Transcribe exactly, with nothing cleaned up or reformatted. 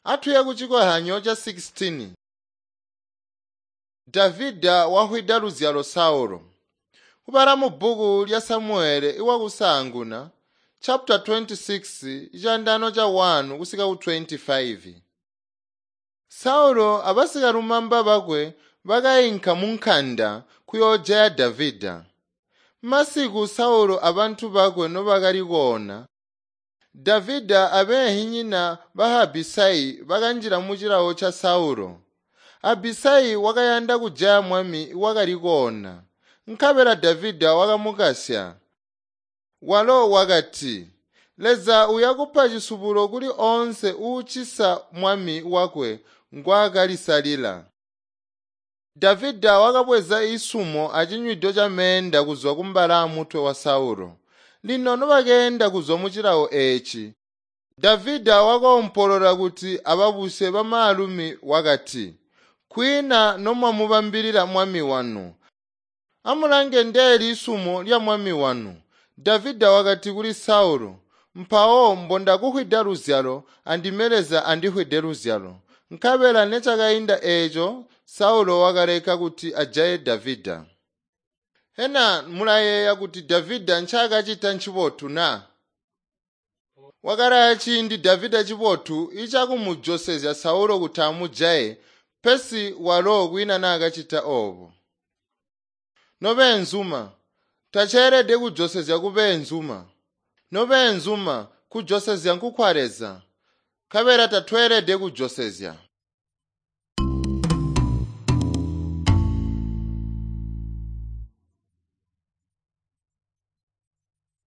Atuye kucikohanyo ca sixteen. Davida wahwida luzyalo Saulo. Kubala mu bbuku lya Samuele iwakusaanguna chapter twenty-six icandano ca one kusika ku twenty-five. Saulo abasikalumamba bakwe bakainka mu nkanda kuyoojaya Davida. Masiku Saulo abantu bakwe nobakali koona, Davida abeehinyina ba Abisai bakanjila mu cilawo ca Saulo. Abisai wakayanda kujaya mwami wakali koona, nkabela Davida wakamukasya. Walo wakati, Leza uyakupa cisubulo kuli oonse uucisa mwami wakwe ngwaakalisalila. Davida wakabweza isumo acinywido ca meenda kuzwa kumbala mutwe wa Saulo. Lino nobakeenda kuzwa mu cilawo eeci, Davida wakoompolola kuti ababusye bamaalumi wakati, Kwiina nomwamubambilila mwami wanu. Amulange ndeeli isumo lya mwami wanu. Davida wakati kuli Saulo, Mpawo mbondakuhwida luzyalo, andime Leza andihwide luzyalo. Nkabela necakainda eeco, Saulo wakaleka kuti ajaye Davida. Hena mulayeeya kuti Davida ncaakacita ncibotu na? Wakalaya ciindi Davida cibotu icakumujosezya Saulo kuti amujaye, pesi walo kwiina naakacita oobo. Nobeenzuma, taceelede kujosezya kubeenzuma. Nobeenzuma, kujosezya nkukwa Leza. Nkabela tatweelede kujosezya.